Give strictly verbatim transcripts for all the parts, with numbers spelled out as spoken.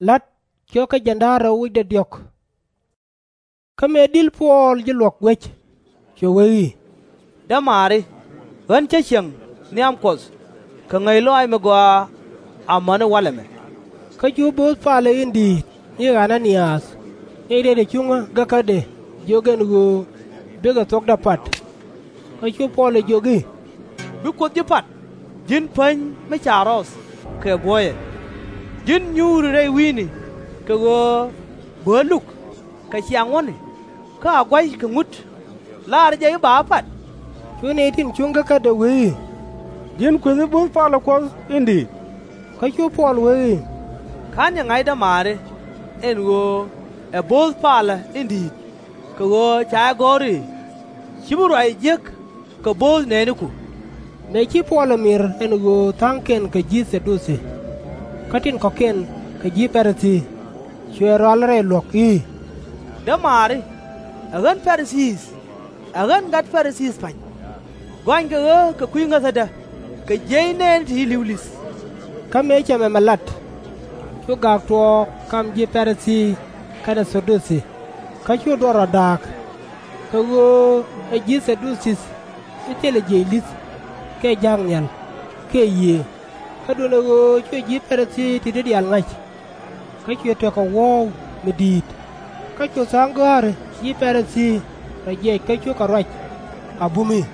La̱t cio̱kä jiɛn da̱ŋ rɛw wi̱cdɛ diɔ̱k. Kä mëë di̱l Puɔl ji̱ luɔ̱k guec, cuɛ wee i̱, Dämaari, ɣän cä cieŋ nhiam Kuɔth kɛ ŋäc lɔaac mi gɔaa amäni walɛ mɛ. Kä cu bo̱o̱th palä in di̱i̱t ni Ɣa-na-niath, ni riet ɛ cuŋä gäkädɛ, jiök ɛn ɣöö bikɛ thuɔ̱kdä pat. Kä cu Puɔl ɛ jiök i̱, Bi Kuoth ji̱ pat, ji̱n päny mi ca rɔɔth kɛ buɔyɛ! Ji̱n nyuuri rɛy wi̱i̱ni kɛ ɣöö buäär luk kɛ ciaŋ wäni, kä a gua̱c kɛ ŋut, laarä jɛ i̱ ba ɣä pat? Cu nɛy tin cuŋ gäkädɛ wee i̱, Ji̱n kueth ni bo̱o̱th palä Kuɔth in di̱i̱t. Kä cu Puɔl wee i̱, Ka̱n yɛ ŋa̱c, dämaari, ɛn ɣöö ɛ bo̱o̱th palä in di̱i̱t, kɛ ɣöö ca jɛ gɔ̱r i̱, Ci bi ruac jiäk kɛ bo̱o̱th nɛɛniku. Mëë ci Puɔl ɛ mir ɛn ɣöö tha̱a̱ŋkiɛn kɛ ji̱ Thɛ-du-thi, kä tin kɔ̱kiɛn kɛ ji̱ Pa-ri-thii, cuɛ rual rɛy luɔ̱k i̱, Dämaari, ɛ ɣän Pa-ri-thii, ɛ ɣän gat Pa-ri-thii pa̱ny! Gɔanykɛ ɣä kɛ kui̱ ŋäthädä kɛ jiɛc nɛɛni ti ci li̱w li̱th. Kä mëë cɛ mɛmɛ lat, cu gak tuɔɔk kam ji̱ Pa-ri-thii kɛnɛ Thɛ-du-thi, kä cu duɔ̱ɔ̱r rɔ da̱a̱k, kɛ ɣöö ɛ ji̱ Thɛ-du-thi mi thilɛ jiɛc li̱th, kiɛ ja̱a̱k nhial, kiɛ yiëë, kä duundɛ ɣöö cuɛ ji̱ Pa-ri-thii ti̱ti̱ diaal ŋa̱c. Kä cuɛ tekɛ wuɔ̱w mi di̱i̱t, kä cu tha̱a̱ŋ gɔ̱a̱ri ji̱ Pa-ri-thii rɔ jiɛc kä cukɛ ruac a bum i̱,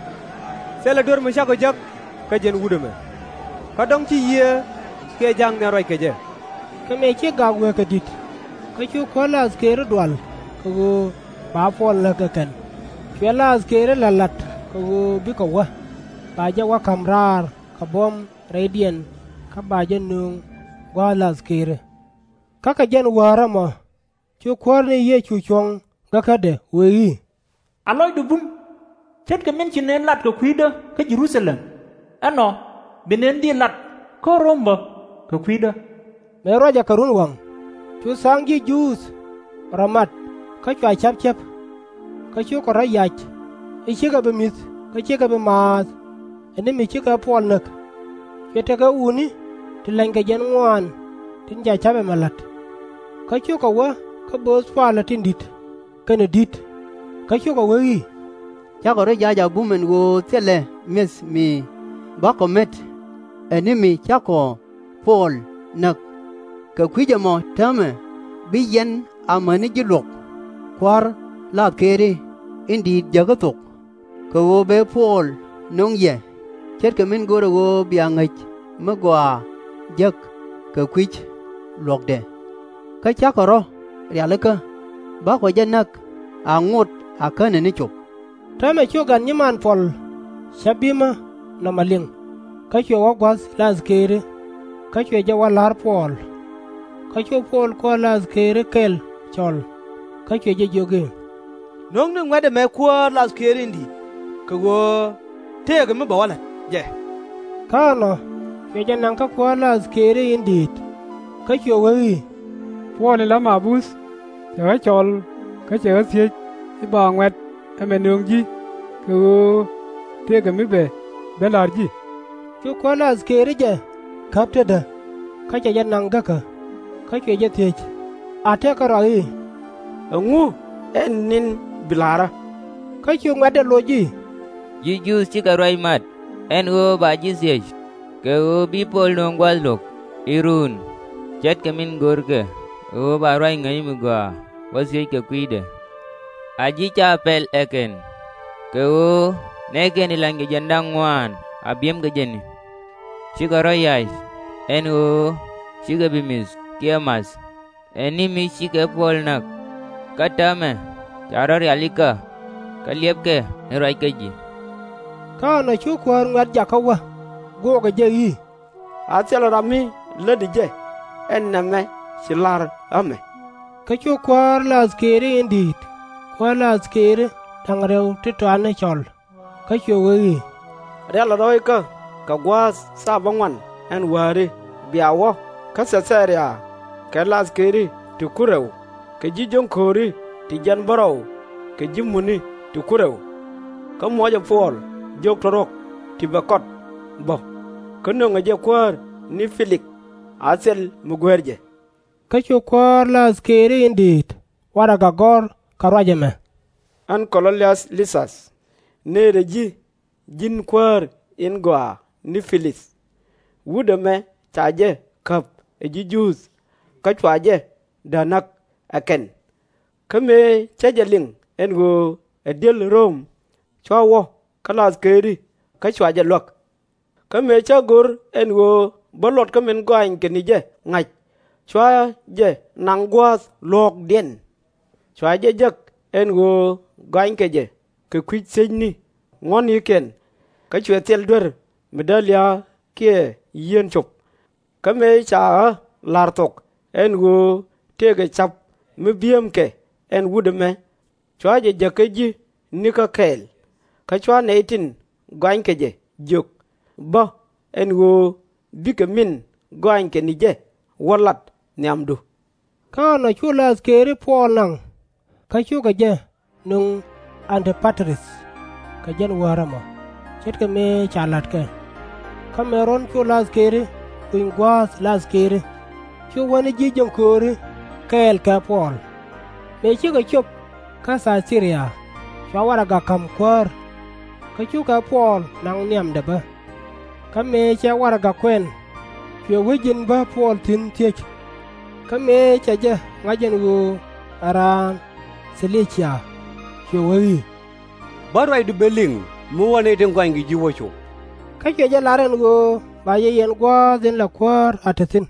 Thilɛ duer mi cakɔ jek kä ji̱n wut ɛmɛ, kä dɔ̱ŋ ci yiëë kiɛ ja̱a̱k nhial ruac kɛ jɛ. Kä mëë ci gak wee kɛ di̱t, kä cu kuäär la̱th Këëri dual kɛ ɣöö ba Puɔl näk ɛ kɛn, cuɛ la̱th Këëri la̱t la̱t kɛ ɣöö bikɛ wä, ba jɛ wä ka̱m raar kɛ buɔ̱m rɛydiɛn, kä ba jɛ nöŋ gua̱a̱th la̱th Këëri. Kä kɛ jɛn wäär ɛmɔ cu Kuäär ni Yecu cuɔ̱ŋ gäkädɛ wee i̱, A lɔcdu bum, ce̱tkɛ min ci nën lat kɛ kui̱dä kä Jɛ-ru-tha-lɛm, ɛnɔ bi nën dhil lat kä Röm bä kɛ kui̱dä. Mëë ruacɛ kɛ runwaŋ, cu tha̱a̱ŋ ji̱ Juudh rɔ mat kä cua ca̱p cäp. Kä cukɛ rɔ̱ yac i̱ /cikɛ bi mi̱th kä /cikɛ bi maath, ɛ ni mi /cikɛ Puɔl näk. Cuɛ tekɛ wutni ti lɛnykɛ jiɛn ŋuan tin ca ca̱p ɛmɛ la̱t. Kä cukɛ wä kä bo̱o̱th palä tin di̱t kɛnɛ di̱t, kä cukɛ wee i̱, Cakɔ rɔ̱ yac a bum ɛn ɣöö thilɛ mi̱eth mi bakɔ met, ɛ ni mi cakɔ Puɔl näk. Kɛ kui̱c ɛmɔ täämɛ bi yɛn amäni ji̱ luɔ̱k kua̱r la̱th Këëri in di̱i̱t jäkä thok, kɛ ɣöö bɛ Puɔl nöŋ yɛ, ce̱tkɛ min görɛ ɣöö bia ŋäc mi gɔaa jek kɛ kui̱c luɔ̱kdɛ. Kä cakɔ rɔ̱ rialikä, bakɔ jɛ näk a ŋot a känɛ ni cop. Täämɛ cu gat nyiman Puɔl cä bimä nɔmɔ liŋ, kä cuɛ wä gua̱th la̱th Këëri, kä cuɛ jɛ wä la̱r Puɔl. Kä cu Puɔl kuäär la̱th Këëri kɛl cɔl, kä cuɛ jɛ jiök i̱, No̱ŋni ŋuɛ̈t ɛmɛ kuäär la̱th Këëri in di̱i̱t, kɛ ɣöö tëëkɛ mi bɛ wä la̱t jɛ. Kä ɛnɔ cuɛ jɛ naŋ kä kuäär la̱th Këëri in di̱i̱t, kä cuɛ wee i̱, Puɔl in la Maabuth, cɛ ɣä cɔl kä cɛ ɣä thiec i̱ ba ŋuɛ̈t ɛmɛ nöŋ ji̱, kɛ ɣöö tëëkɛ mi bɛ ben la̱r ji̱. Cu kuäär la̱th Këëri jɛ käp tetdä, kä cɛ jɛ naŋ gäkä, kä cuɛ jɛ thiec, a tekɛ rɔa i̱, Ɛŋu ɛn ni̱n bi la̱rä? Kä cu ŋuɛ̈tdɛ loc i̱, Ji̱ Juudh cikɛ ruac mat ɛn ɣöö ba ji̱ thiec, kɛ ɣöö bi Puɔl nöŋ gua̱a̱th luɔ̱k i̱ ruun, ce̱tkɛ min görkɛ ɣöö ba ruac ŋäc mi gɔaa wä thiec kɛ kui̱dɛ. A ji̱ /ca pɛl ɛ kɛn, kɛ ɣöö nɛɛkiɛn ti lɛnykɛ jiɛn da̱ŋ ŋuan a biɛmkɛ jɛn i̱, Cikɛ rɔ̱ yac ɛn ɣöö /cikɛ bi mi̱th kiɛ math, ɛ ni mi /cikɛ Puɔl näk. Kä täämɛ ca rɔ̱ rialikä, kä liɛpkɛ ni ruac kä ji̱. Kä ɛnɔ cu kuäär ŋuɛ̈t jakä wä, guɔkɛ jɛ i̱, A thilɛ ram mi lätdi jɛ, ɛn nɛmɛ ci la̱r ɣä mɛ. Kä cu kuäär la̱th Këëri in di̱i̱t kuäär la̱th Këëri da̱ŋ rɛw ti tɔatni cɔl, kä cuɛ wee i̱, Rialɛ rɔ̱ ikä kɛ gua̱a̱th thaap bäŋuan ɛn wääri bia wä kä Thɛ-thɛ-ria kɛ la̱th Këëri ti kur rɛw kɛ ji̱ jiöŋkööri ti jiɛn bärɔw kɛ ji̱ mutni ti kur rɛw. Kä muɔcɛ Puɔl jiök tɔ̱rɔ̱k ti bɛ kɔt bä, kä nöŋɛ jɛ kuäär ni Pɛ-lik a thil mi guer jɛ. Kä cu kuäär Lath Keri in di̱i̱t warɛgak gɔ̱r kɛ ruac ɛmɛ, Ɛn Kɔ-lɔ-liath Li-thäth, nëëdɛ ji̱, ji̱n kuäär in gɔaa ni Pi-lith. Wut ɛmɛ ca jɛ käp ɛ ji̱ Juudh, kä cua jɛ dääk näk ɛ kɛn. Kä mëë cä jɛ liŋ ɛn ɣöö ɛ diël Röm, cua wä kä Lath Keri, kä cua jɛ luäk. Kä mëë cä go̱r ɛn ɣöö bä luɔt kä min gɔaankɛ ni jɛ ŋa̱c, cua jɛ naŋ gua̱a̱th luɔ̱ɔ̱kdiɛn. Cua jɛ jek ɛn ɣöö gɔanykɛ jɛ kɛ kui̱c thiecni ŋuɔ̱tnikiɛn, kä cuɛ thil duer mi dälia kiɛ yieen cop. Kä mëë ca ɣä la̱r thok ɛn ɣöö tëëkɛ ca̱p mi bi̱eemkɛ ɛn wut ɛmɛ, cua jɛ jäk kä ji̱ nikä kɛɛl, kä cua nɛy tin gɔanykɛ jɛ jiök bä ɛn ɣöö bikɛ min gɔaankɛ ni jɛ wä lat nhiamdu. Kä ɛnɔ cu Lath Keri Puɔl naŋ, kä cukɛ jɛ nöŋ An-ti-pa-trith kɛ jiɛn wäär ɛmɔ, ce̱tkɛ mëë ca la̱t kɛ. Kä mëë ruɔ̱n cu Lath Keri kuny gua̱a̱th Lath Keri, cu wä ni ji̱ jiäŋkööri kɛɛl kɛ Puɔl. Mëë cikɛ cop kä Thay-tö-ria, cua warɛgak ka̱m kuäär, kä cukɛ Puɔl naŋ nhiamdɛ bä. Kä mëë cɛ warɛgak kuɛn, cuɛ wec in bä Puɔl thi̱n thiec. Kä mëë cɛ jɛ ŋa̱c ɛn ɣöö ɛ raan Ci-li-cia, cuɛ wee i̱, Bä ruacdu ben liŋ mi wä nɛy tin gɔanykɛ ji̱ wä cop. Kä cuɛ jɛ lar ɛn ɣöö ba jɛ yɛn gua̱a̱th in la kuäär a te thi̱n.